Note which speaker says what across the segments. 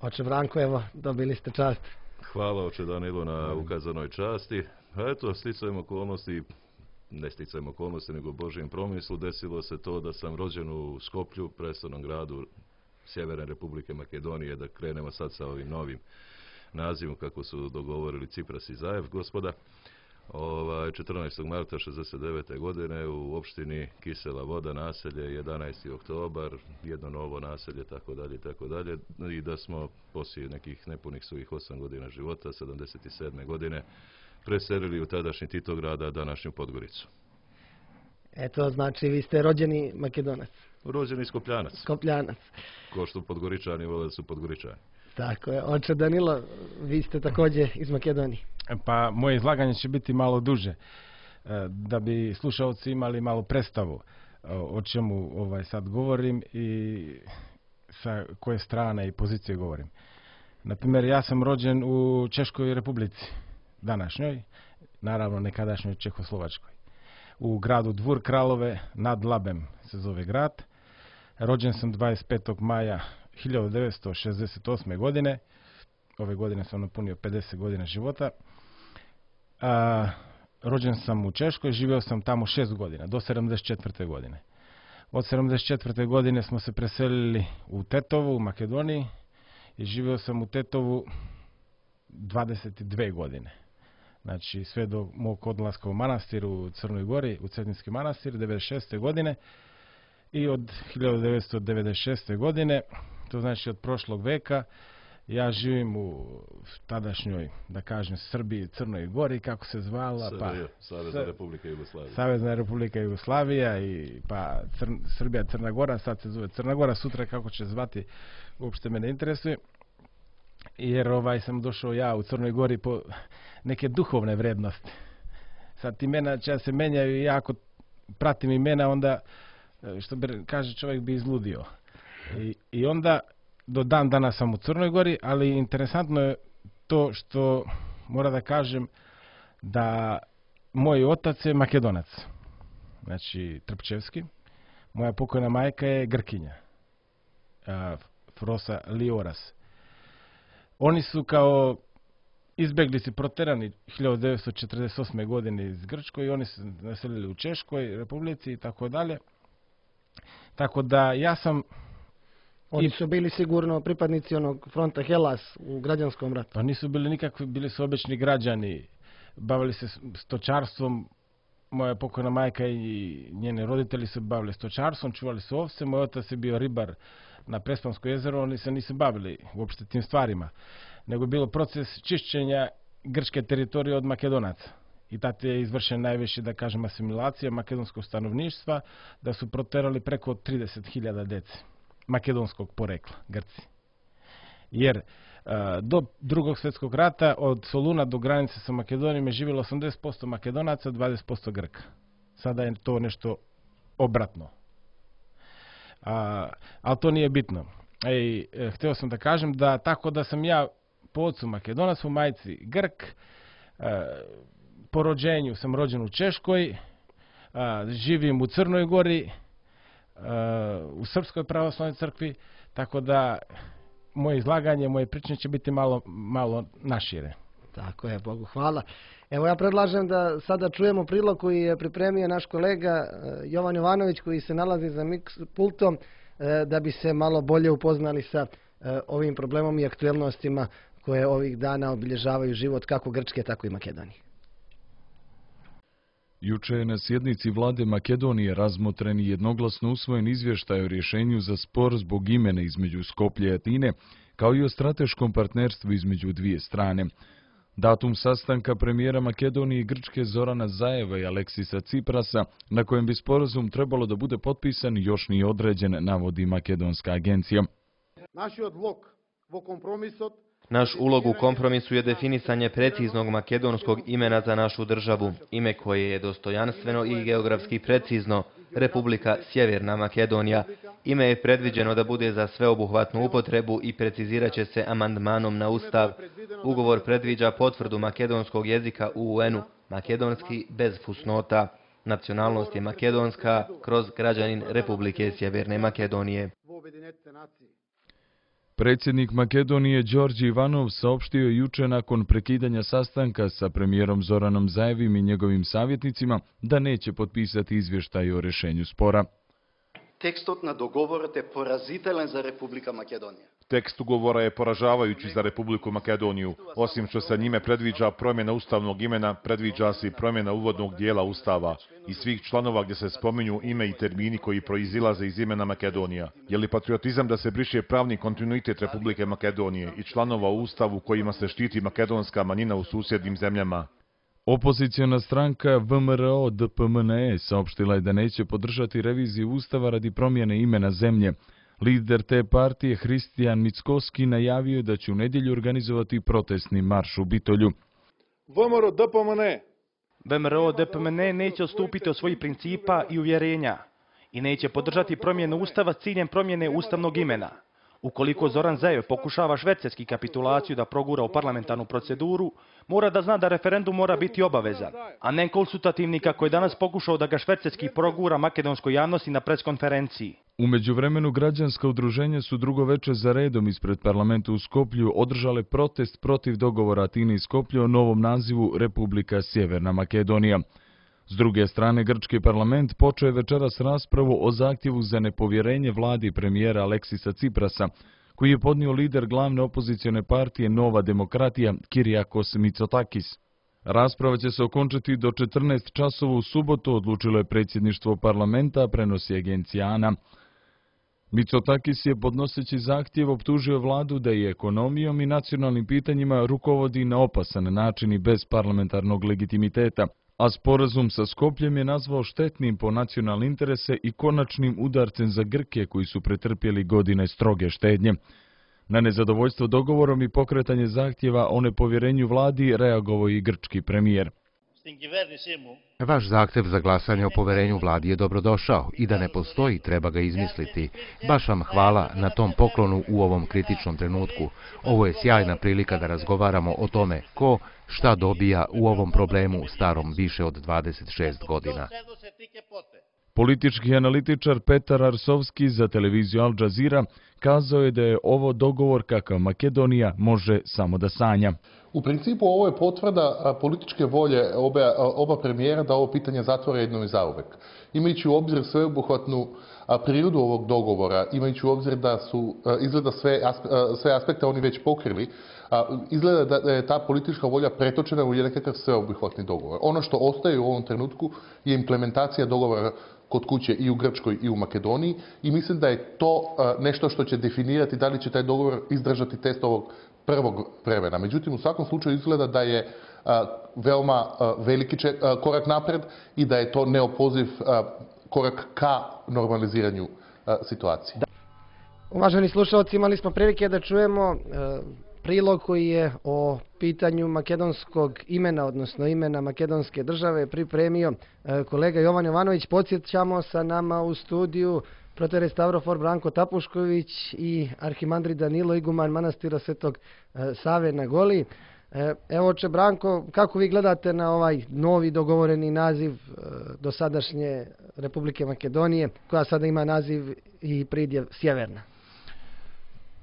Speaker 1: Oče Branko, evo, dobili ste čast.
Speaker 2: Hvala oče Danilo na ukazanoj časti. A eto, sticajem okolnosti, ne sticajem okolnosti, nego Božijem promislu, desilo se to da sam rođen u Skoplju, prestolnom gradu Sjeverne Republike Makedonije, da krenemo sad sa ovim novim nazivom kako su dogovorili Cipras i Zajev, gospoda. 14. marta 69. godine u opštini Kisela Voda, naselje, 11. oktobar, jedno novo naselje, tako dalje, i da smo poslije nekih nepunih svojih 8 godina života, 77. godine, preselili u tadašnji Titograd, današnju Podgoricu.
Speaker 1: Eto, znači vi ste rođeni Makedonac.
Speaker 2: Rođeni Skopljanac.
Speaker 1: Skopljanac.
Speaker 2: Ko što Podgoričani vole da su Podgoričani.
Speaker 1: Tako je. Oče Danilo, vi ste također iz Makedonije.
Speaker 3: Pa moje izlaganje će biti malo duže, da bi slušalci imali malo predstavu o čemu sad govorim i sa koje strane i pozicije govorim. Naprimjer, ja sam rođen u Češkoj Republici, današnjoj, naravno nekadašnjoj Čehoslovačkoj. U gradu Dvor Kralove, nad Labem se zove grad. Rođen sam 25. maja 1968. godine. Ove godine sam napunio 50 godina života. Rođen sam u Češkoj, živio sam tamo 6 godina, do 74. godine. Od 74. godine smo se preselili u Tetovu, u Makedoniji, i živio sam u Tetovu 22 godine. Znači sve do mog odlaska u manastir u Crnoj Gori, u Cetinski manastir, 96. godine. I od 1996. godine, to znači od prošlog veka, ja živim u tadašnjoj, da kažem, Srbiji, Crnoj Gori, kako se zvala,
Speaker 2: Savezna Republika Jugoslavija.
Speaker 3: Savezna Republika Jugoslavija i pa Srbija, Crna Gora, sad se zove Crna Gora, sutra kako će zvati, uopšte me ne interesuje. Jer sam došao ja u Crnoj Gori po neke duhovne vrednosti. Sad imena će se menjaju i ja ako pratim imena, onda, što kaže čovjek, bi izludio. I onda do dan danas sam u Crnoj Gori, ali interesantno je to što mora da kažem da moj otac je Makedonac, znači Trpčevski, moja pokojna majka je Grkinja, Frosa Lioras. Oni su kao izbeglici proterani 1948. godine iz Grčkoj i oni su naselili u Češkoj Republici i tako dalje. Tako da ja sam...
Speaker 1: Oni su bili sigurno pripadnici onog fronta Hellas u građanskom ratu.
Speaker 3: Pa nisu bili nikakvi, bili su obični građani. Bavili se stočarstvom. Moja pokojna majka i njene roditelji se bavili stočarstvom, čuvali su ovce. Moj otac je bio ribar na Prespansko jezero, oni se nisu bavili uopšte tim stvarima. Nego je bilo proces čišćenja grčke teritorije od Makedonaca. I tada je izvršen najviše, da kažem, asimilacija makedonskog stanovništva, da su proterali preko 30.000 dece makedonskog porekla, Grci. Jer do drugog svjetskog rata od Soluna do granice sa Makedonijom je živjelo 80% Makedonaca, 20% Grka. Sada je to nešto obratno. Ali to nije bitno. Htio sam da kažem da tako da sam ja po ocu Makedonac, po majci Grk, po rođenju sam rođen u Češkoj, živim u Crnoj Gori, u Srpskoj pravoslavnoj crkvi, tako da moje izlaganje, moje pričanje će biti malo našire.
Speaker 1: Tako je, Bogu hvala. Evo ja predlažem da sada čujemo prilog koji je pripremio naš kolega Jovan Jovanović, koji se nalazi za mix pultom, da bi se malo bolje upoznali sa ovim problemom i aktuelnostima koje ovih dana obilježavaju život kako Grčke, tako i Makedonije.
Speaker 4: Juče je na sjednici vlade Makedonije razmotren i jednoglasno usvojen izvještaj o rješenju za spor zbog imena između Skoplja i Atine, kao i o strateškom partnerstvu između dvije strane. Datum sastanka premijera Makedonije i Grčke Zorana Zajeva i Aleksisa Ciprasa, na kojem bi sporazum trebalo da bude potpisan, još nije određen, navodi makedonska agencija.
Speaker 5: Naš ulog u kompromisu je definisanje preciznog makedonskog imena za našu državu, ime koje je dostojanstveno i geografski precizno, Republika Sjeverna Makedonija. Ime je predviđeno da bude za sveobuhvatnu upotrebu i precizirat će se amandmanom na Ustav. Ugovor predviđa potvrdu makedonskog jezika u UN-u, makedonski bez fusnota. Nacionalnost je makedonska kroz građanin Republike Sjeverne Makedonije.
Speaker 4: Predsjednik Makedonije Đorđe Ivanov saopštio je juče nakon prekidanja sastanka sa premijerom Zoranom Zaevim i njegovim savjetnicima da neće potpisati izvještaj o rešenju spora.
Speaker 6: Текстот на договорот е поразителен за Република Македонија.
Speaker 7: Tekst ugovora je poražavajući za Republiku Makedoniju. Osim što se njime predviđa promjena ustavnog imena, predviđa se i promjena uvodnog dijela ustava i svih članova gdje se spominju ime i termini koji proizilaze iz imena Makedonija. Je li patriotizam da se briše pravni kontinuitet Republike Makedonije i članova u ustavu kojima se štiti makedonska manjina u susjednim zemljama?
Speaker 4: Opoziciona stranka VMRO DPMNE saopštila je da neće podržati reviziju ustava radi promjene imena zemlje. Lider te partije Hristijan Mickoski najavio je da će u nedjelju organizovati protestni marš u Bitolju.
Speaker 8: VMRO DPMNE neće odstupiti od svojih principa i uvjerenja i neće podržati promjenu ustava s ciljem promjene ustavnog imena. Ukoliko Zoran Zaev pokušava švercerski kapitulaciju da progura u parlamentarnu proceduru, mora da zna da referendum mora biti obavezan, a ne konsultativni kako je danas pokušao da ga švercerski progura makedonskoj javnosti na preskonferenciji.
Speaker 4: U međuvremenu građanska udruženja su drugo veče za redom ispred parlamenta u Skoplju održale protest protiv dogovora Atine i Skoplja o novom nazivu Republika Sjeverna Makedonija. S druge strane, grčki parlament počeo je večeras raspravu o zahtjevu za nepovjerenje vladi premijera Aleksisa Ciprasa, koji je podnio lider glavne opozicione partije Nova demokratija Kyriakos Mitsotakis. Rasprava će se okončati do 14 časova u subotu, odlučilo je predsjedništvo parlamenta, prenosi agencija ANA. Mitsotakis je podnoseći zahtjev optužio vladu da je ekonomijom i nacionalnim pitanjima rukovodi na opasan način i bez parlamentarnog legitimiteta, a sporazum sa Skopljem je nazvao štetnim po nacionalne interese i konačnim udarcem za Grke koji su pretrpjeli godine stroge štednje. Na nezadovoljstvo dogovorom i pokretanje zahtjeva o nepovjerenju vladi reagovao i grčki premijer.
Speaker 9: Vaš zahtjev za glasanje o poverenju vladi je dobrodošao i da ne postoji treba ga izmisliti. Baš vam hvala na tom poklonu u ovom kritičnom trenutku. Ovo je sjajna prilika da razgovaramo o tome ko šta dobija u ovom problemu starom više od 26 godina.
Speaker 4: Politički analitičar Petar Arsovski za televiziju Al Jazeera kazao je da je ovo dogovor kakav Makedonija može samo da sanja.
Speaker 10: U principu ovo je potvrda političke volje oba premijera da ovo pitanje zatvore jednom i zauvek. Imajući u obzir sveobuhvatnu prirodu ovog dogovora, imajući u obzir da su izgleda sve aspekte oni već pokrili, izgleda da je ta politička volja pretočena u nekakav sveobuhvatni dogovor. Ono što ostaje u ovom trenutku je implementacija dogovora kod kuće i u Grčkoj i u Makedoniji i mislim da je to nešto što će definirati da li će taj dogovor izdržati test ovog prvog vremena. Međutim, u svakom slučaju izgleda da je veoma veliki korak napred i da je to neopoziv korak ka normaliziranju situacije.
Speaker 1: Uvaženi slušalci, imali smo prilike da čujemo prilog koji je o pitanju makedonskog imena, odnosno imena makedonske države, pripremio kolega Jovan Jovanović. Podsjećamo, sa nama u studiju protere Stavrofor Branko Tapušković i arhimandrit Danilo iguman manastira Svetog Save na Goli. Evo, oče Branko, kako vi gledate na ovaj novi dogovoreni naziv dosadašnje Republike Makedonije, koja sada ima naziv i pridjev Sjeverna?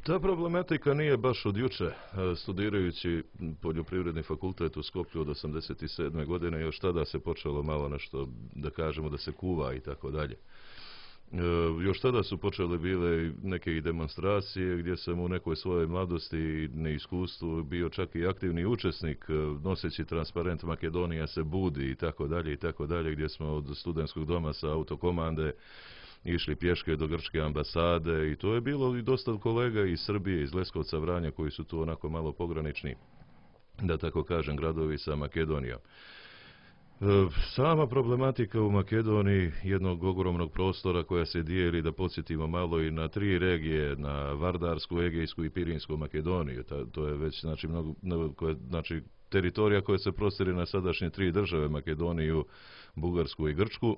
Speaker 2: Ta problematika nije baš od juče. Studirajući poljoprivredni fakultet u Skoplju od 1987. godine, još tada se počelo malo nešto, da kažemo, da se kuva i tako dalje. Još tada su počele bile neke i demonstracije gdje sam u nekoj svojoj mladosti i neiskustvu bio čak i aktivni učesnik noseći transparent Makedonija se budi i tako dalje, gdje smo od studentskog doma sa autokomande išli pješke do grčke ambasade i to je bilo i dosta kolega iz Srbije, iz Leskovca, Vranja koji su tu onako malo pogranični, da tako kažem, gradovi sa Makedonijom. Sama problematika u Makedoniji, jednog ogromnog prostora koja se dijeli, da podsjetimo malo, i na 3 regije, na Vardarsku, Egejsku i Pirinsku Makedoniju. To je već znači teritorija koja se prostire na sadašnje 3 države, Makedoniju, Bugarsku i Grčku.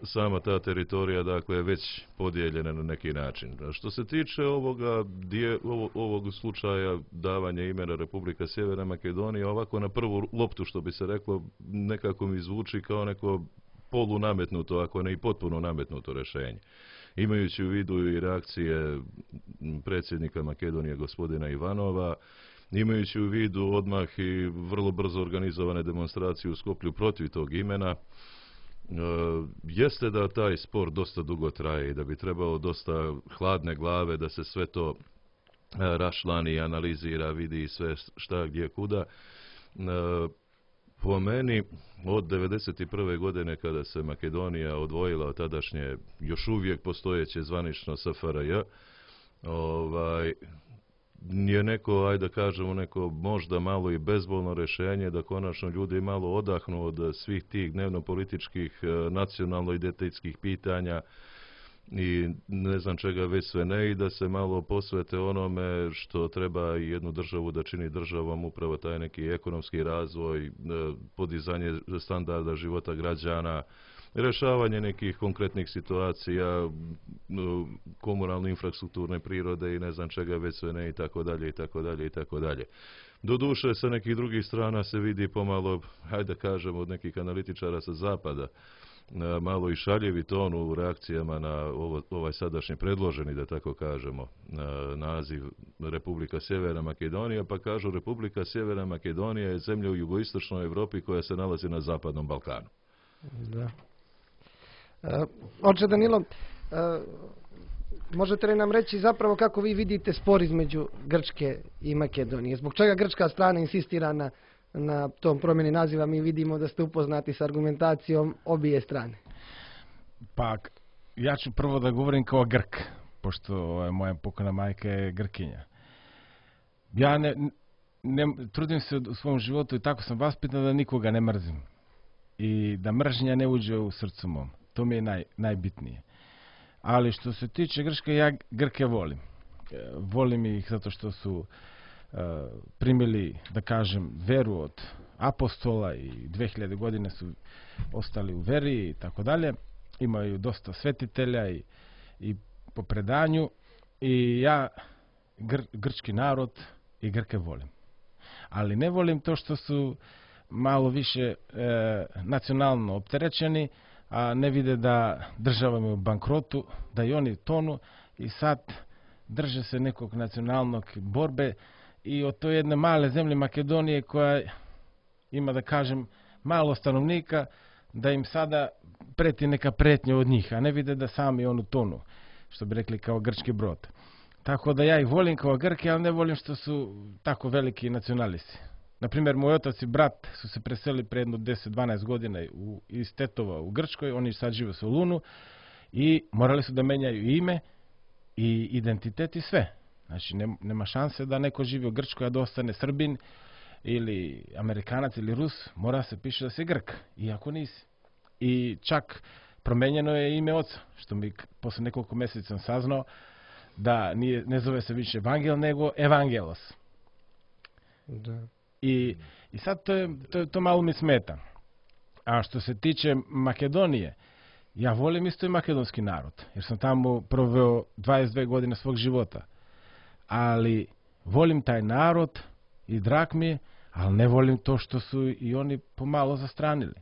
Speaker 2: Sama ta teritorija, dakle, je već podijeljena na neki način. Što se tiče ovog slučaja davanja imena Republika Sjeverna Makedonija, ovako na prvu loptu, što bi se reklo, nekako mi zvuči kao neko polunametnuto, ako ne i potpuno nametnuto rješenje. imajući u vidu i reakcije predsjednika Makedonije gospodina Ivanova, imajući u vidu odmah i vrlo brzo organizovane demonstracije u Skoplju protiv tog imena, jeste da taj spor dosta dugo traje i da bi trebalo dosta hladne glave da se sve to rašlani, analizira, vidi sve šta, gdje, kuda. Po meni, od 1991. godine kada se Makedonija odvojila od tadašnje, još uvijek postojeće zvanično SFRJ, je neko, ajde da kažemo, neko možda malo i bezbolno rješenje da konačno ljudi malo odahnu od svih tih dnevno-političkih, nacionalno-identitetskih pitanja i ne znam čega već sve ne, i da se malo posvete onome što treba i jednu državu da čini državom, upravo taj neki ekonomski razvoj, podizanje standarda života građana, rješavanje nekih konkretnih situacija, komunalne infrastrukturne prirode i ne znam čega već sve ne, i tako dalje, i tako dalje, i tako dalje. Doduše, sa nekih drugih strana se vidi pomalo, hajde da kažemo, od nekih analitičara sa zapada, malo i šaljevi ton u reakcijama na ovaj sadašnji predloženi, da tako kažemo, naziv Republika Sjeverna Makedonija, pa kažu Republika Sjeverna Makedonija je zemlja u jugoistočnoj Europi koja se nalazi na Zapadnom Balkanu.
Speaker 1: Da. Oče Danilo, možete li nam reći zapravo kako vi vidite spor između Grčke i Makedonije? Zbog čega grčka strana insistira na tom promjeni naziva? Mi vidimo da ste upoznati s argumentacijom obje strane.
Speaker 3: Pa, ja ću prvo da govorim kao Grk, pošto moja pokojna majka je Grkinja. Ja trudim se u svom životu i tako sam vaspitan da nikoga ne mrzim. I da mržnja ne uđe u srcu mom. To mi je najbitnije. Ali što se tiče Grčke, ja Grke volim. Volim ih zato što su primili, da kažem, veru od apostola i 2000 godine su ostali u veri i tako dalje. Imaju dosta svetitelja i po predanju. I ja grčki narod i Grke volim. Ali ne volim to što su malo više nacionalno opterećeni, a ne vide da država je u bankrotu, da i oni tonu i sad drže se nekog nacionalnog borbe i od toj jedne male zemlje Makedonije koja ima, da kažem, malo stanovnika, da im sada preti neka pretnja od njih, a ne vide da sami onu tonu, što bi rekli kao grčki brod. Tako da ja ih volim kao Grke, ali ne volim što su tako veliki nacionalisti. Naprimjer, moj otac i brat su se preselili pre jedno 10-12 godina iz Tetova u Grčkoj, oni sad žive u Solunu i morali su da menjaju ime i identitet i sve. Znači, nema šanse da neko živi u Grčkoj, a da ostane Srbin ili Amerikanac ili Rus, mora se piše da si Grk, iako nisi. I čak promenjeno je ime oca, što mi posle nekoliko mjeseca sam saznao da ne zove se više Evangel, nego Evangelos.
Speaker 1: Da.
Speaker 3: I sad to malo mi smeta. A što se tiče Makedonije, ja volim isto i makedonski narod, jer sam tamo proveo 22 godine svog života. Ali volim taj narod i drag mi je, ali ne volim to što su i oni pomalo zastranili.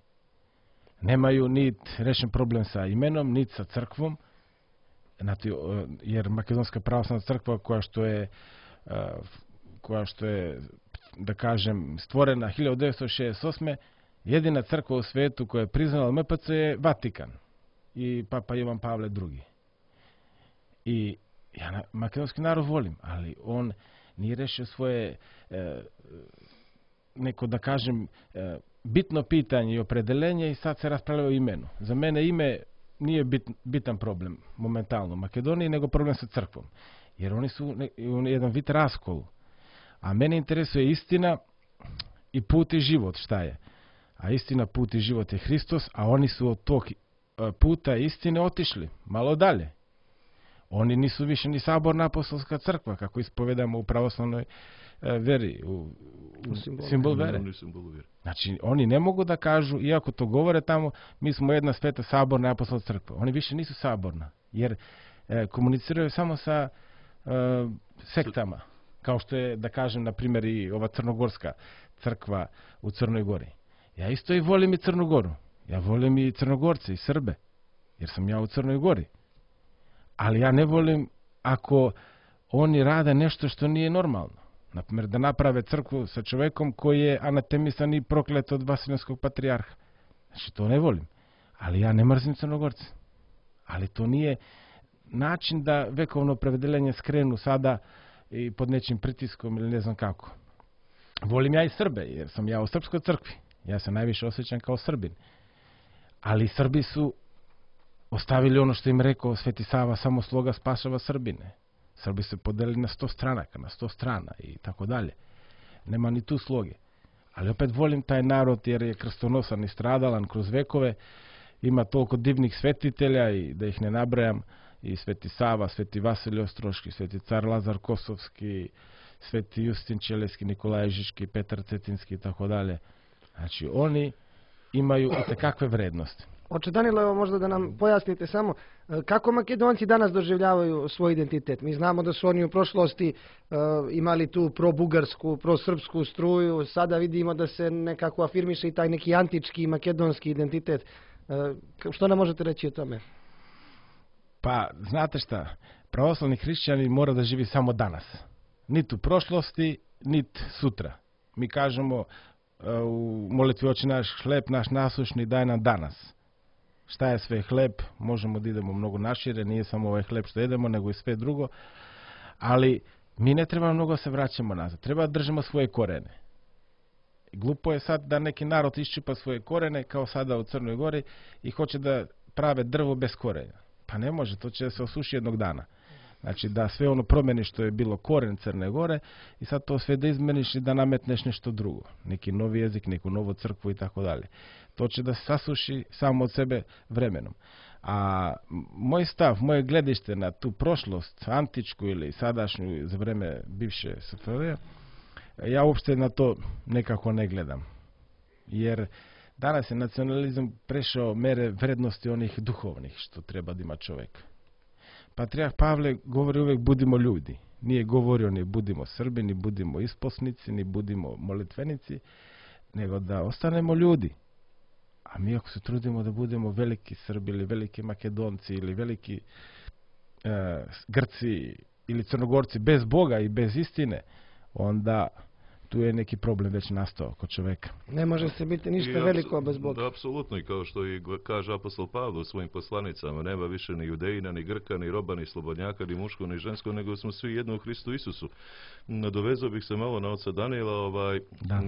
Speaker 3: Nemaju nit rešen problem sa imenom, nit sa crkvom, jer Makedonska pravoslavna crkva koja što je da kažem, stvorena 1968. jedina crkva u svetu koja je priznala MPC je Vatikan i Papa Jovan Pavle II. I ja makedonski narod volim, ali on nije rešio svoje neko, da kažem, bitno pitanje i opredelenje i sad se raspravlja o imenu. Za mene ime nije bitan problem momentalno u Makedoniji, nego problem sa crkvom. Jer oni su jedan vid raskolu. A mene interesuje istina i put i život, šta je. A istina, put i život je Hristos, a oni su od tog puta istine otišli malo dalje. Oni nisu više ni saborna apostolska crkva, kako ispovedamo u pravoslavnoj veri, u simbol vere. Znači, oni ne mogu da kažu, iako to govore tamo, mi smo jedna sveta saborna apostolska crkva. Oni više nisu saborna, jer komuniciraju samo sa sektama. Kao što je, da kažem, na primjer, i ova crnogorska crkva u Crnoj Gori. Ja isto i volim i Crnu Goru. Ja volim i Crnogorce i Srbe, jer sam ja u Crnoj Gori. Ali ja ne volim ako oni rade nešto što nije normalno. Naprimjer, da naprave crkvu sa čovjekom koji je anatemisan i proklet od Vasiljanskog patrijarha. Znači, to ne volim. Ali ja ne mrzim Crnogorce. Ali to nije način da vekovno opredeljenje skrenu sada i pod nečim pritiskom ili ne znam kako. Volim ja i Srbe, jer sam ja u srpskoj crkvi. Ja se najviše osjećam kao Srbin. Ali Srbi su ostavili ono što im rekao Sveti Sava, samo sloga spašava Srbine. Srbi se podelili na 100 stranaka, na 100 strana i tako dalje. Nema ni tu sloge. Ali opet volim taj narod jer je krstonosan i stradalan kroz vekove. Ima toliko divnih svetitelja i da ih ne nabrajam. I Sveti Sava, Sveti Vasilij Ostroški, Sveti car Lazar Kosovski, Sveti Justin Čeleski, Nikolaj Žički, Petar Cetinski i tako dalje. Znači, oni imaju itekakve vrednosti.
Speaker 1: Oče Danilo, evo možda da nam pojasnite samo kako Makedonci danas doživljavaju svoj identitet. Mi znamo da su oni u prošlosti imali tu pro-bugarsku, pro-srpsku struju, sada vidimo da se nekako afirmiše i taj neki antički makedonski identitet. Što nam možete reći o tome?
Speaker 3: Pa, znate šta, pravoslavni hrišćani mora da živi samo danas. Nit u prošlosti, nit sutra. Mi kažemo u molitvi Oče naš, hleb naš nasušni daj nam danas. Šta je sve hleb? Možemo da idemo mnogo našire, nije samo ovaj hleb što jedemo, nego i sve drugo. Ali mi ne treba mnogo se vraćamo nazad. Treba da držimo svoje korene. Glupo je sad da neki narod iščupa svoje korene, kao sada u Crnoj Gori, i hoće da prave drvo bez korenja. Pa ne može, to će se osuši jednog dana. Znači da sve ono promeni što je bilo koren Crne Gore i sad to sve da izmeniš i da nametneš nešto drugo. Neki novi jezik, neku novu crkvu i tako dalje. To će da se sasuši samo od sebe vremenom. A moj stav, moje gledište na tu prošlost, antičku ili sadašnju za vreme bivše SFRJ, ja uopšte na to nekako ne gledam. Jer danas je nacionalizam prešao mere vrednosti onih duhovnih što treba da ima čovjek. Patrijarh Pavle govori uvijek budimo ljudi. Nije govorio ni budimo Srbi, ni budimo isposnici, ni budimo molitvenici, nego da ostanemo ljudi. A mi ako se trudimo da budemo veliki Srbi ili veliki Makedonci ili veliki Grci ili Crnogorci bez Boga i bez istine, onda tu je neki problem već nastao kod čoveka.
Speaker 1: Ne može se biti ništa veliko bez Boga.
Speaker 2: Da, apsolutno, i kao što i kaže apostol Pavle u svojim poslanicama, nema više ni Judejina, ni Grka, ni roba, ni slobodnjaka, ni muško, ni žensko, nego smo svi jedno u Hristu Isusu. Nadovezao bih se malo na oca Danila,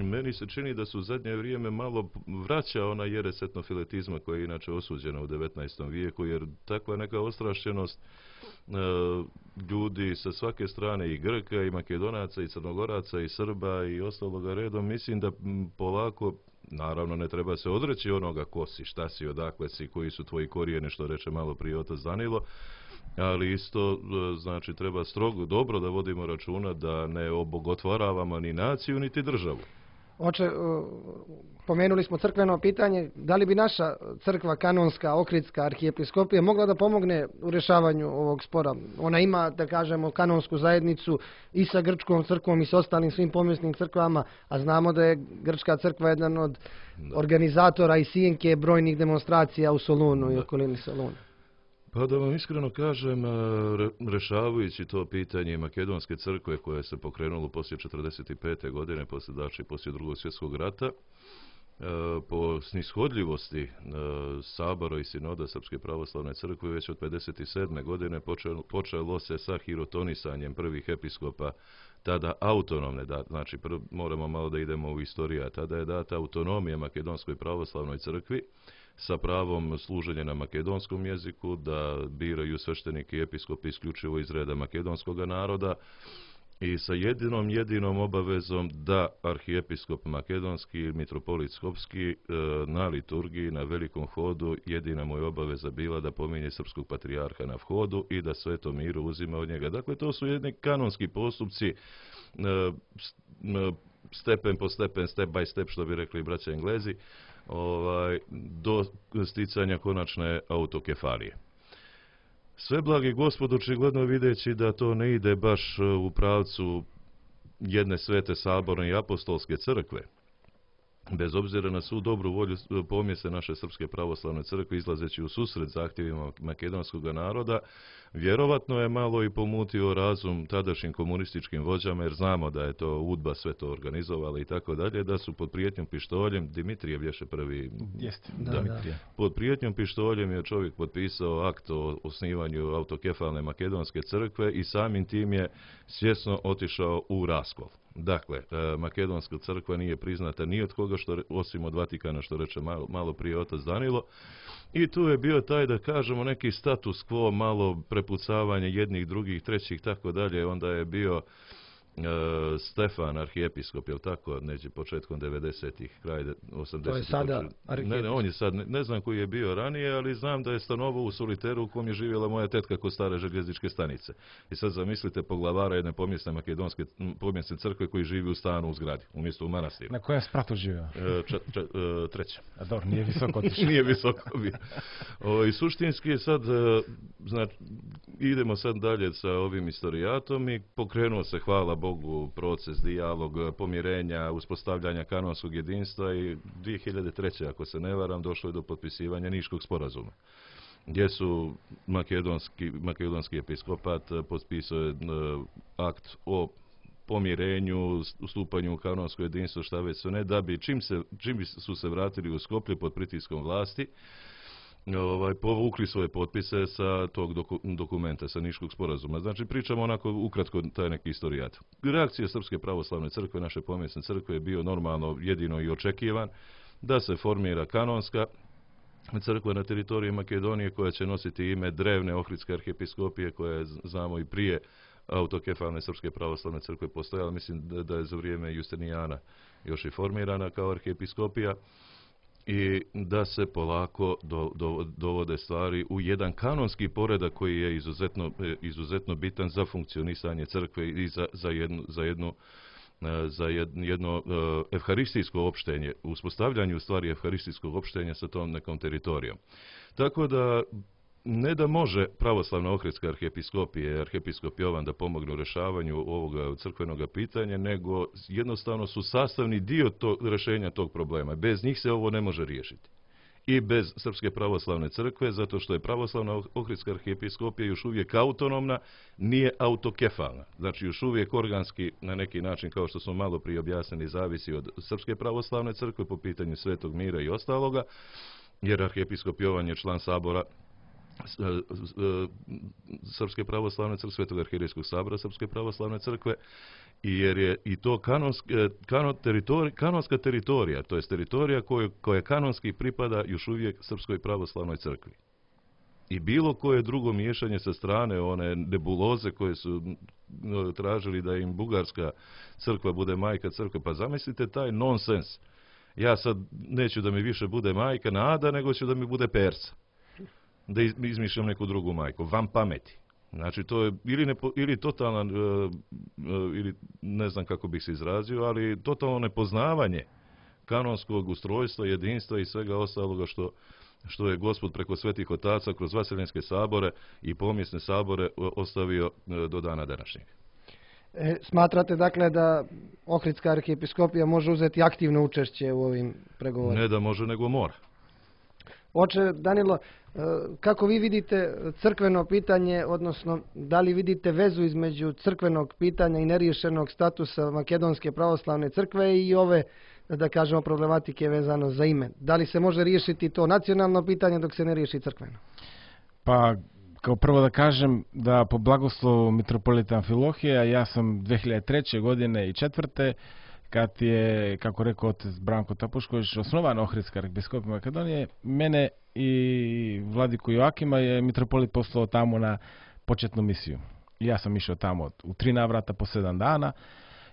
Speaker 2: meni se čini da su u zadnje vrijeme malo vraća ona jeres etnofiletizma koja je inače osuđena u 19. vijeku, jer takva neka ostrašćenost ljudi sa svake strane, i Grka, i Makedonaca, i Crnogoraca, i Srba i ostaloga redom, mislim da polako, naravno ne treba se odreći onoga ko si, šta si, odakle si, koji su tvoji korijeni, što reče malo prije otac Danilo, ali isto znači treba strogo dobro da vodimo računa da ne obogotvaravamo ni naciju niti državu.
Speaker 1: Oče, pomenuli smo crkveno pitanje, da li bi naša crkva kanonska, Ohridska arhijepiskopija mogla da pomogne u rješavanju ovog spora? Ona ima, da kažemo, kanonsku zajednicu i sa grčkom crkvom i sa ostalim svim povijesnim crkvama, a znamo da je grčka crkva jedan od organizatora i sijenke brojnih demonstracija u Solunu i okolini Soluna.
Speaker 2: Pa da vam iskreno kažem, rešavajući to pitanje Makedonske crkve koje se pokrenulo poslije 1945. godine, poslije Drugog svjetskog rata, po snishodljivosti Sabora i Sinoda Srpske pravoslavne crkve već od 1957. godine počelo se sa hirotonisanjem prvih episkopa, tada autonomne, znači moramo malo da idemo u istoriju, tada je data autonomija Makedonskoj pravoslavnoj crkvi sa pravom služenja na makedonskom jeziku, da biraju sveštenike i episkopi isključivo iz reda makedonskog naroda i sa jedinom obavezom da arhijepiskop makedonski, mitropolit Skopski na liturgiji, na velikom hodu, jedina mu je obaveza bila da pominje srpskog patrijarha na vhodu i da sveto miru uzima od njega. Dakle, to su jedni kanonski postupci, stepen po stepen, step by step, što bi rekli braća Englezi, do sticanja konačne autokefalije. Sve blagi Gospod, očigledno videći da to ne ide baš u pravcu jedne svete saborne i apostolske crkve, bez obzira na svu dobru volju pomjese naše Srpske pravoslavne crkve, izlazeći u susret zahtjevima makedonskog naroda, vjerovatno je malo i pomutio razum tadašnjim komunističkim vođama, jer znamo da je to UDBA sve to organizovala i tako dalje, da su pod prijetnjom pištoljem, Dimitrijev je prvi, pod prijetnjom pištoljem je čovjek potpisao akt o osnivanju autokefalne makedonske crkve i samim tim je svjesno otišao u raskol. Dakle, makedonska crkva nije priznata ni od koga, osim od Vatikana, što reče malo prije otac Danilo. I tu je bio taj, da kažemo, neki status quo, malo prepucavanje jednih, drugih, trećih, tako dalje. Onda je bio Stefan, arhijepiskop, je li tako, neđe početkom 90-ih, kraj 80-ih.
Speaker 1: To je sada arhijepiskop.
Speaker 2: Ne, on je sad, ne znam koji je bio ranije, ali znam da je stanovao u Soliteru u kom je živjela moja tetka kod stare željezničke stanice. I sad zamislite poglavara jedne pomjesne crkve koji živi u stanu u zgradi, umjesto u manastiru.
Speaker 3: Na kojem spratu živio?
Speaker 2: Treća.
Speaker 3: A dobro, nije visoko otišao.
Speaker 2: Nije visoko bio. I suštinski je sad, znači, idemo sad dalje sa ovim istorijatom i pokrenuo se, hvala Bogu, proces, dijalog, pomirenja, uspostavljanja kanonskog jedinstva i 2003. ako se ne varam, došlo je do potpisivanja Niškog sporazuma, gdje su makedonski episkopat potpisao akt o pomirenju, ustupanju u kanonsko jedinstvo, šta već sve ne, da bi čim su se vratili u Skoplje pod pritiskom vlasti, povukli svoje potpise sa tog dokumenta, sa Niškog sporazuma. Znači, pričamo onako ukratko taj neki istorijat. Reakcija Srpske pravoslavne crkve, naše pomjesne crkve, je bio normalno, jedino i očekivan, da se formira kanonska crkva na teritoriji Makedonije, koja će nositi ime drevne Ohridske arhijepiskopije, koja je, znamo, i prije autokefalne Srpske pravoslavne crkve postojala. Mislim da je za vrijeme Justinijana još i formirana kao arhijepiskopija. I da se polako dovode stvari u jedan kanonski poredak koji je izuzetno bitan za funkcionisanje crkve i za jedno evharistijsko opštenje, uspostavljanje u stvari evharistijskog opštenja sa tom nekom teritorijom. Tako da ne da može pravoslavna Ohridska arhijepiskopija i arhijepiskop Jovan da pomognu u rješavanju ovoga crkvenog pitanja, nego jednostavno su sastavni dio rješenja tog problema. Bez njih se ovo ne može riješiti. I bez Srpske pravoslavne crkve, zato što je pravoslavna Ohridska arhijepiskopija još uvijek autonomna, nije autokefalna. Znači, još uvijek organski, na neki način, kao što smo malo prije objasnili, zavisi od Srpske pravoslavne crkve po pitanju Svetog mira i ostaloga, jer arhijepiskop Jovan je član sabora Srpske pravoslavne crkve, Svetog arhijerejskog sabora Srpske pravoslavne crkve, i jer je i to kanonska teritorija, to je teritorija koja kanonski pripada još uvijek Srpskoj pravoslavnoj crkvi. I bilo koje drugo miješanje sa strane, one nebuloze koje su tražili da im Bugarska crkva bude majka crkve, pa zamislite taj nonsens. Ja sad neću da mi više bude majka Nada, nego ću da mi bude Persa. Da izmišljam neku drugu majku, van pameti. Znači, to je ili totalan, ili ne znam kako bih se izrazio, ali totalno nepoznavanje kanonskog ustrojstva, jedinstva i svega ostaloga što je Gospod preko svetih otaca kroz vaseljenske sabore i pomjesne sabore ostavio do dana današnjeg.
Speaker 1: Smatrate dakle da Ohridska arhijepiskopija može uzeti aktivno učešće u ovim pregovorima?
Speaker 2: Ne da može, nego mora.
Speaker 1: Oče Danilo, kako vi vidite crkveno pitanje, odnosno da li vidite vezu između crkvenog pitanja i neriješenog statusa Makedonske pravoslavne crkve i ove, da kažemo, problematike vezano za ime? Da li se može riješiti to nacionalno pitanje dok se ne riješi crkveno?
Speaker 3: Pa, kao prvo da kažem da po blagoslovu mitropolita Amfilohija, ja sam 2003. godine i 2004. kad je, kako rekao otac Branko Tapušković, osnovana Ohridska arhijepiskopija Makedonije, mene i vladiku Joakima je mitropolit poslao tamo na početnu misiju. Ja sam išao tamo u 3 navrata po 7 dana.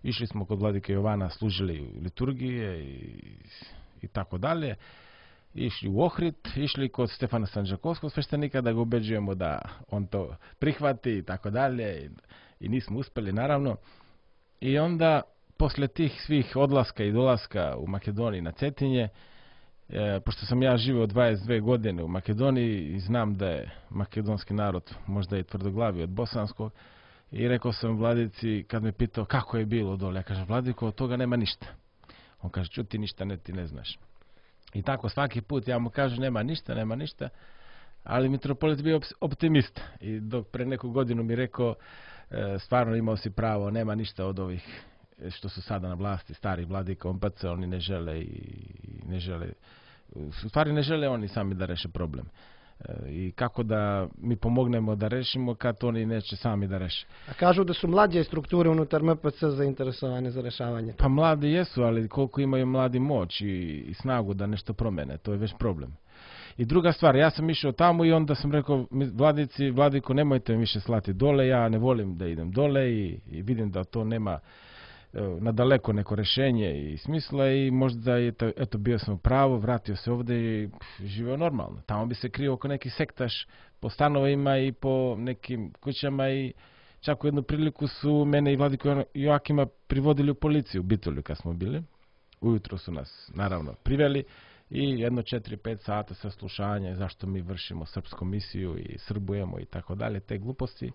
Speaker 3: Išli smo kod vladike Jovana, služili liturgije i tako dalje. Išli u Ohrid, išli kod Stefana Sanđakovskog sveštenika da ga ubeđujemo da on to prihvati i tako dalje. I nismo uspjeli, naravno. I onda, poslije tih svih odlaska i dolaska u Makedoniji na Cetinje, pošto sam ja živio 22 godine u Makedoniji i znam da je makedonski narod možda i tvrdoglaviji od bosanskog, i rekao sam vladici, kad me pitao kako je bilo dole, ja kažem, vladiko, od toga nema ništa. On kaže, čuti ništa, ti ne znaš. I tako svaki put ja mu kažem, nema ništa, ali mitropolit bio optimist. I dok pre neku godinu mi rekao, stvarno imao si pravo, nema ništa od ovih što su sada na vlasti, starih vladika OMPC, oni ne žele u stvari ne žele oni sami da reše problem. I kako da mi pomognemo da rešimo kad oni neće sami da reše.
Speaker 1: A kažu da su mlađe strukture unutar MPC zainteresovane za rešavanje.
Speaker 3: Pa mladi jesu, ali koliko imaju mladi moć i snagu da nešto promene, to je već problem. I druga stvar, ja sam išao tamo i onda sam rekao, vladiko, nemojte mi više slati dole, ja ne volim da idem dole i vidim da to nema nadaleko neko rešenje i smisla i možda je eto bio sam u pravu, vratio se ovde i živeo normalno. Tamo bi se krio oko neki sektaš po stanovima i po nekim kućama i čak u jednu priliku su mene i Vladiko Joakima privodili u policiju u Bitolju kad smo bili. Ujutro su nas naravno priveli i jedno 4-5 sata saslušanja zašto mi vršimo srpsku misiju i srbujemo i tako dalje, te gluposti.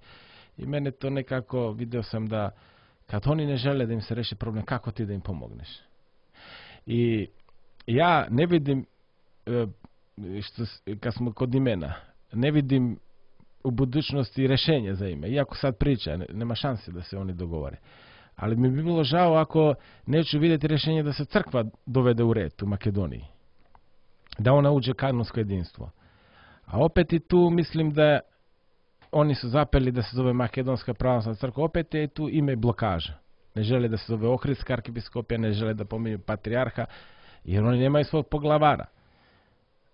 Speaker 3: I mene to nekako, video sam da kad oni ne žele da im se reši problem, kako ti da im pomogneš? I ja ne vidim, kad smo kod imena, ne vidim u budućnosti rešenje za ime. Iako sad priča, nema šanse da se oni dogovore. Ali mi bi bilo žao ako neću vidjeti rešenje da se crkva dovede u red u Makedoniji. Da ona uđe kanonsko jedinstvo. A opet i tu mislim da oni su zapeli da se zove Makedonska pravoslavna crkva, opet je tu ime blokaža. Ne žele da se zove Ohridska arkipiskopija, ne žele da pominju patrijarha, jer oni nemaju svog poglavara.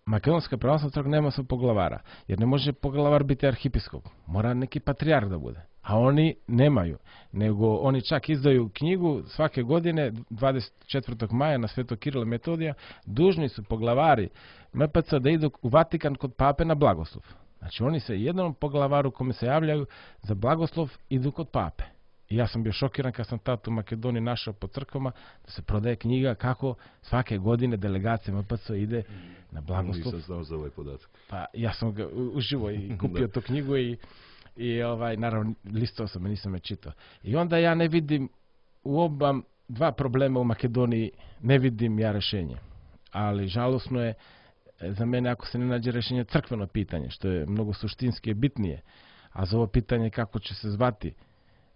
Speaker 3: Makedonska pravoslavna crkva nema svog poglavara, jer ne može poglavar biti arhipiskop. Mora neki patrijarh da bude. A oni nemaju, nego oni čak izdaju knjigu svake godine, 24. maja na Svetog Kirila Metodija, dužni su poglavari MPC da idu u Vatikan kod pape na blagoslov. Znači oni se jednom poglavaru kome se javljaju za blagoslov idu kod pape. I ja sam bio šokiran kad sam tad u Makedoniji našao po crkvama da se prodaje knjiga kako svake godine delegacija MPC ide na blagoslov.
Speaker 2: Nisam znao za ovaj podatak.
Speaker 3: Pa ja sam ga uživo i kupio tu knjigu i naravno listao sam, nisam je čitao. I onda ja ne vidim u dva problema u Makedoniji, ne vidim ja rešenje. Ali žalosno je za mene ako se ne nađe rešenje crkveno pitanje, što je mnogo suštinski bitnije. A za ovo pitanje kako će se zvati,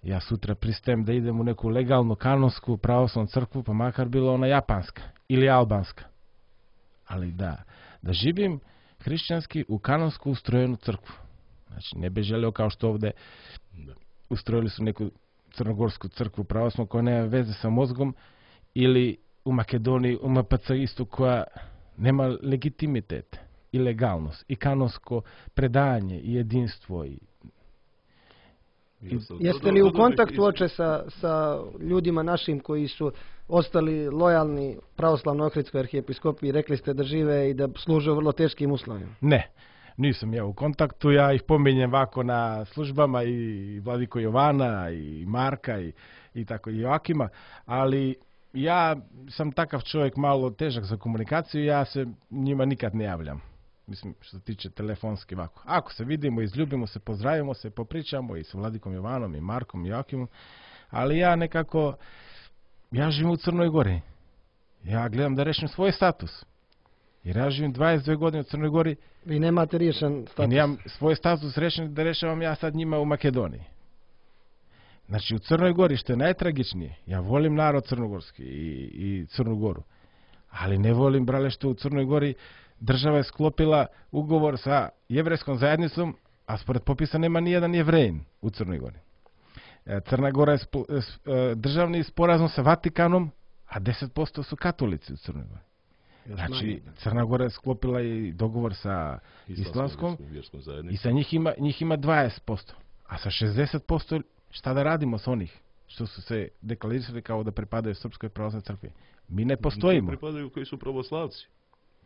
Speaker 3: ja sutra pristajem da idem u neku legalnu kanonsku pravoslavnu crkvu, pa makar bila ona japanska ili albanska. Ali da živim hrišćanski u kanonsku ustrojenu crkvu. Znači, ne bi želeo kao što ovde ustrojili su neku crnogorsku crkvu pravoslavnu koja nema veze sa mozgom ili u Makedoniji, u MPC istu koja nema legitimitet i legalnost i kanonsko predanje i jedinstvo.
Speaker 1: Jeste li u kontaktu oče sa ljudima našim koji su ostali lojalni pravoslavnoj Ohridskoj arhijepiskopiji, rekli ste da žive i da služe u vrlo teškim uslovima?
Speaker 3: Ne, nisam ja u kontaktu, ja ih pominjem ovako na službama i Vladiko Jovana i Marka i tako i Joakima, ali ja sam takav čovjek malo težak za komunikaciju, ja se njima nikad ne javljam. Mislim, što se tiče telefonski ovako. Ako se vidimo, izljubimo se, pozdravimo se, popričamo i sa Vladikom Jovanom i Markom i Joakimom, ali ja nekako, ja živim u Crnoj Gori. Ja gledam da rešim svoj status. Jer ja živim 22 godine u Crnoj Gori.
Speaker 1: Vi nemate riješen status.
Speaker 3: I nemam svoj status rešen da rešavam ja sad njima u Makedoniji. Znači u Crnoj Gori, što je najtragičnije, ja volim narod crnogorski i Crnu Goru, ali ne volim, brale, što u Crnoj Gori država je sklopila ugovor sa jevrejskom zajednicom, a spored popisa nema nijedan Jevrejin u Crnoj Gori. Crna Gora je državni sporazum sa Vatikanom, a 10% su katolici u Crnoj Gori. Znači, Crna Gora je sklopila i dogovor sa islamskom i sa njih ima 20%, a sa 60% šta da radimo s onih što su se deklarirali kao da pripadaju Srpskoj pravoslavnoj crkvi? Mi ne postojimo.
Speaker 2: Pripadaju koji su pravoslavci.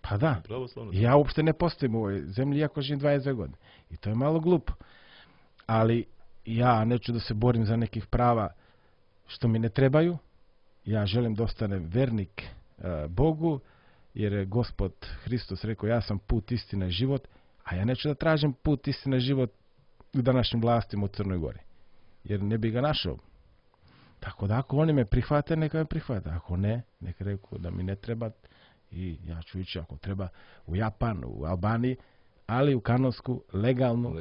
Speaker 3: Pa da, ja uopšte ne postojim u ovoj zemlji iako živim 22 godine. I to je malo glupo. Ali ja neću da se borim za nekih prava što mi ne trebaju. Ja želim da ostanem vernik Bogu, jer je Gospod Hristos rekao ja sam put, istina i život, a ja neću da tražim put, istina i život u današnjim vlastima u Crnoj Gori. Jer ne bi ga našao. Tako Tako da ako oni me prihvate, neka me prihvate. Ako ne, neka reku da mi ne treba i ja ću ići ako treba u Japan, u Albaniji, ali u kanonsku legalnu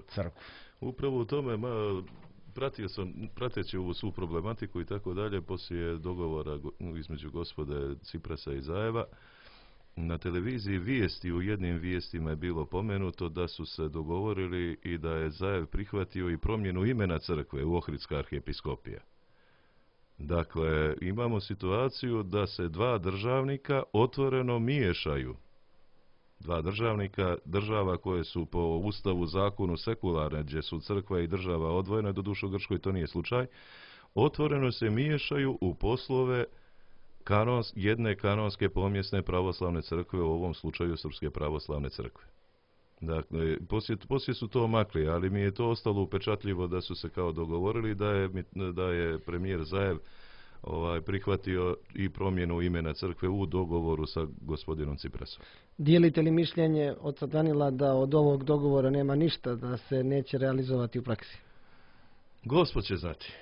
Speaker 3: crkvu.
Speaker 2: Upravo u tome, prateći ovu svu problematiku i tako dalje, poslije dogovora između gospode Ciprasa i Zajeva, na televiziji u jednim vijestima je bilo pomenuto da su se dogovorili i da je Zajev prihvatio i promjenu imena crkve u Ohridska arhijepiskopija. Dakle, imamo situaciju da se dva državnika otvoreno miješaju. Dva država koje su po ustavu, zakonu sekularne, gdje su crkva i država odvojene, doduše u Grčkoj to nije slučaj, otvoreno se miješaju u poslove jedne kanonske pomjesne pravoslavne crkve, u ovom slučaju Srpske pravoslavne crkve. Dakle, poslije su to makli, ali mi je to ostalo upečatljivo da su se kao dogovorili da je premijer Zajev prihvatio i promjenu imena crkve u dogovoru sa gospodinom Ciprasom.
Speaker 1: Dijelite li mišljenje od Danila da od ovog dogovora nema ništa, da se neće realizovati u praksi?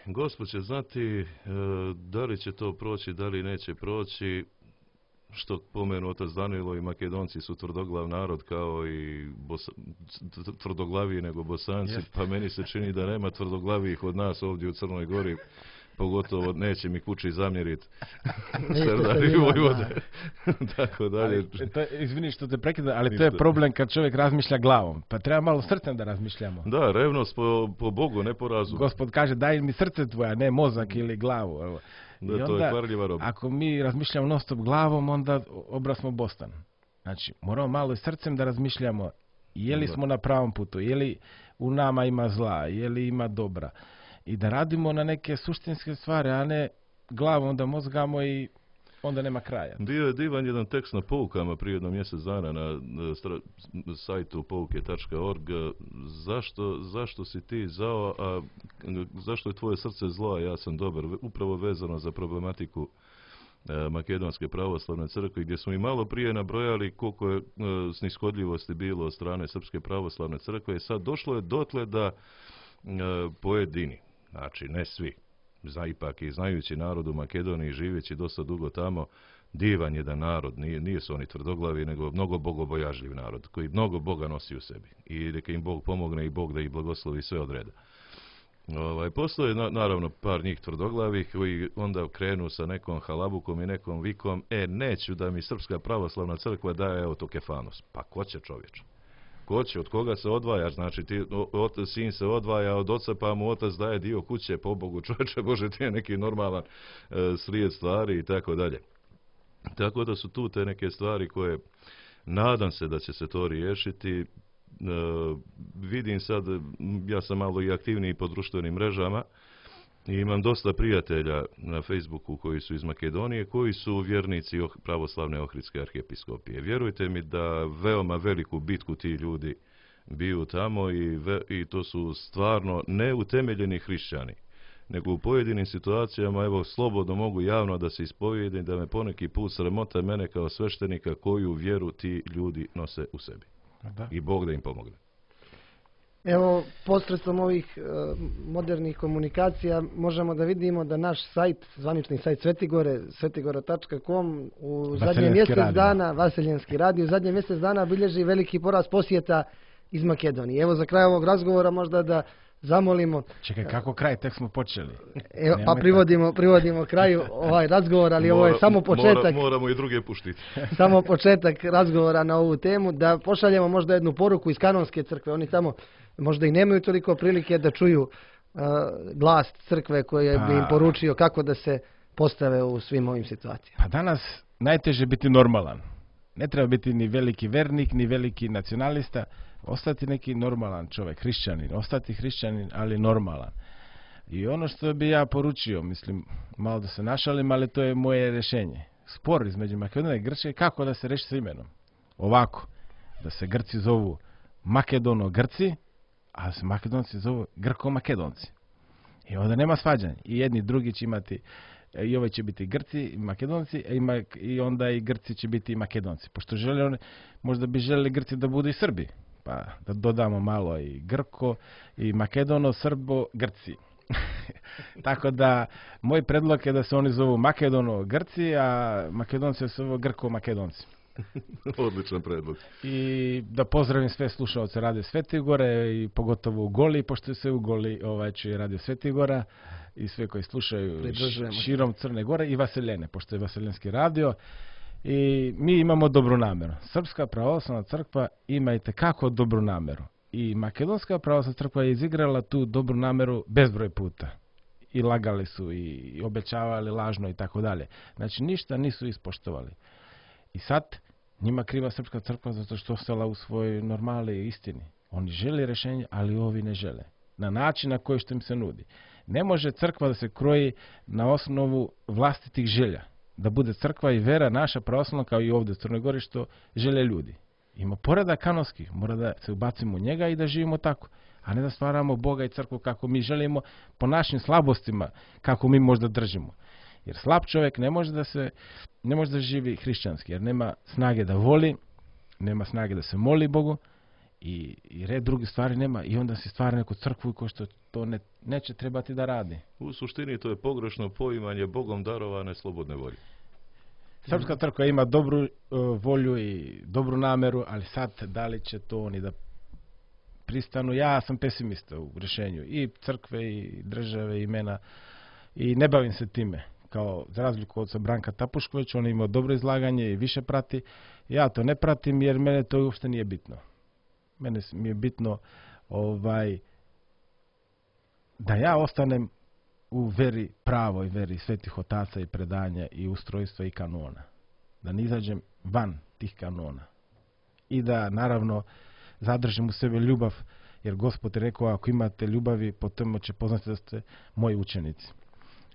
Speaker 2: Gospod će znati da li će to proći, da li neće proći. Što pomenu otac Danilo, i Makedonci su tvrdoglav narod kao i tvrdoglaviji nego Bosanci, pa meni se čini da nema tvrdoglavijih od nas ovdje u Crnoj Gori, pogotovo neće mi kući zamjeriti Serdari Vojvode. Tako dalje.
Speaker 3: Izvini što te prekidam, ali to je problem kad čovjek razmišlja glavom. Pa treba malo srcem da razmišljamo.
Speaker 2: Da, revnost po Bogu, ne po razumu.
Speaker 3: Gospod kaže daj mi srce tvoja, ne mozak ili glavu. Evo.
Speaker 2: Da, onda, to je kvarljiva roba.
Speaker 3: Ako mi razmišljamo non stop glavom, onda obraz smo Bostan. Znači, moramo malo i srcem da razmišljamo je li smo na pravom putu, je li u nama ima zla, je li ima dobra. I da radimo na neke suštinske stvari, a ne glavom da mozgamo i onda nema kraja.
Speaker 2: Bio je divan jedan tekst na Poukama prije jedno mjesec dana na sajtu pouke.org. Zašto si ti zao, a zašto je tvoje srce zlo, a ja sam dobar? Upravo vezano za problematiku Makedonske pravoslavne crkve, gdje smo i malo prije nabrojali koliko je snishodljivosti bilo od strane Srpske pravoslavne crkve. I sad došlo je dotle da pojedini, znači ne svi, ipak i znajući narod u Makedoniji, živeći dosta dugo tamo, divan jedan narod, nije su oni tvrdoglavi, nego mnogo bogobojažljiv narod, koji mnogo Boga nosi u sebi. I neka im Bog pomogne i Bog da ih blagoslovi sve od reda. Postoje naravno par njih tvrdoglavih koji onda krenu sa nekom halabukom i nekom vikom, neću da mi Srpska pravoslavna crkva daje autokefanos. Pa ko će, čovječe? Ko će, od koga se odvajaš? Znači sin se odvaja od oca, pa mu otac daje dio kuće, po Bogu, čovječe, Bože, ti je neki normalan slijed stvari i tako dalje. Tako da su tu te neke stvari koje nadam se da će se to riješiti. Vidim sad, ja sam malo i aktivniji po društvenim mrežama i imam dosta prijatelja na Facebooku koji su iz Makedonije, koji su vjernici pravoslavne Ohridske arhijepiskopije. Vjerujte mi da veoma veliku bitku ti ljudi biju tamo i to su stvarno neutemeljeni hrišćani, nego u pojedinim situacijama, evo, slobodno mogu javno da se ispovijedim, da me poneki put sramota mene kao sveštenika koju vjeru ti ljudi nose u sebi. Da. I Bog da im pomogne.
Speaker 1: Evo, posredstvom ovih modernih komunikacija možemo da vidimo da naš sajt, zvanični sajt Svetigore, svetigora.com, u zadnje mjesec dana, Vaseljenski radio, u zadnje mjesec dana bilježi veliki porast posjeta iz Makedonije. Evo, za kraj ovog razgovora možda da zamolimo...
Speaker 3: Čekaj, kako kraj? Tek smo počeli.
Speaker 1: Evo, pa privodimo kraju ovaj razgovor, ali ovo je samo početak.
Speaker 2: Moramo i druge puštiti.
Speaker 1: Samo početak razgovora na ovu temu, da pošaljemo možda jednu poruku iz kanonske crkve. Oni tamo možda i nemaju toliko prilike da čuju glas crkve koje bi im poručio kako da se postave u svim ovim situacijama.
Speaker 3: Pa danas najteže biti normalan. Ne treba biti ni veliki vernik, ni veliki nacionalista. Ostati neki normalan čovjek, hrišćanin. Ostati hrišćanin, ali normalan. I ono što bi ja poručio, mislim, malo da se našalim, ali to je moje rješenje. Spor između Makedonije i Grčke, kako da se reši s imenom? Ovako, da se Grci zovu Makedono-Grci, a da se Makedonci zovu Grko-Makedonci. I onda nema svađanja. I jedni i drugi će imati, i ovaj će biti Grci i Makedonci, i onda i Grci će biti i Makedonci. Pošto možda bi željeli Grci da budu i Srbi. Pa da dodamo malo i Grko, i Makedono, Srbo, Grci. Tako da, moj predlog je da se oni zovu Makedono-Grci, a Makedonci se zovu Grko-Makedonci.
Speaker 2: Odličan predlog.
Speaker 3: I da pozdravim sve slušalce Radio Svetigore i pogotovo u Goli, pošto se u Goli čuje Radio Svetigora i sve koji slušaju širom Crne Gore i Vaseljene, pošto je Vaseljenski radio. I mi imamo dobru nameru. Srpska pravoslavna crkva ima itekako dobru nameru. I Makedonska pravoslavna crkva je izigrala tu dobru nameru bezbroj puta. I lagali su i obećavali lažno i tako dalje. Znači ništa nisu ispoštovali. I sad njima kriva Srpska crkva zato što ostala u svojoj normali i istini. Oni žele rješenje, ali ovi ne žele. Na način na koji što im se nudi. Ne može crkva da se kroji na osnovu vlastitih želja. Da bude crkva i vera naša pravoslavna kao i ovdje u Crnoj Gori što žele ljudi. Ima poredak kanonski, mora da se ubacimo u njega i da živimo tako. A ne da stvaramo Boga i crkvu kako mi želimo po našim slabostima, kako mi možda držimo. Jer slab čovjek ne može da živi hrišćanski, jer nema snage da voli, nema snage da se moli Bogu i red druge stvari nema i onda se stvara neku crkvu ko što to neće trebati da radi.
Speaker 2: U suštini to je pogrešno poimanje Bogom darovane slobodne volje.
Speaker 3: Srpska crkva ima dobru volju i dobru nameru, ali sad da li će to oni da pristanu? Ja sam pesimista u rješenju i crkve i države i imena i ne bavim se time. Kao za razliku od Branka Tapušković, on ima dobro izlaganje i više prati. Ja to ne pratim jer mene to uopšte nije bitno. Mene mi je bitno da ja ostanem u veri pravoj, veri svetih otaca i predanja i ustrojstva i kanona. Da ne izađem van tih kanona. I da naravno zadržim u sebi ljubav, jer Gospod je rekao ako imate ljubavi, potom će poznati da ste moji učenici.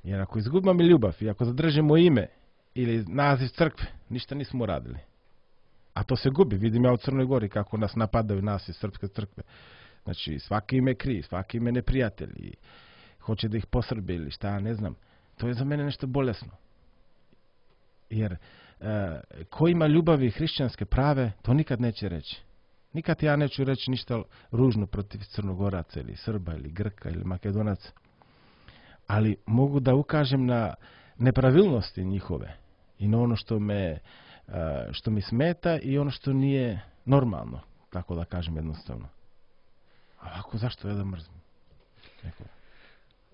Speaker 3: Jer ako izgubimo ljubav i ako zadržimo ime ili naziv crkve, ništa nismo uradili. A to se gubi. Vidim ja u Crnoj Gori kako nas napadaju nas iz Srpske crkve. Znači svaki ime kriv, svaki ime neprijatelj i hoće da ih posrbe ili šta, ne znam. To je za mene nešto bolesno. Jer ko ima ljubavi hrišćanske prave, to nikad neće reći. Nikad ja neću reći ništa ružno protiv Crnogoraca ili Srba ili Grka ili Makedonaca. Ali mogu da ukažem na nepravilnosti njihove i na ono što mi smeta i ono što nije normalno, tako da kažem jednostavno. A ovako zašto ja da mrzim?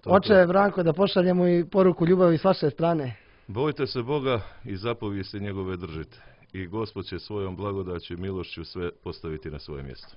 Speaker 1: Oče Branko, da pošaljemo i poruku ljubavi s vaše strane.
Speaker 2: Bojte se Boga i zapovijesti njegove držite. I Gospod će svojom blagodaću i milošću sve postaviti na svoje mjesto.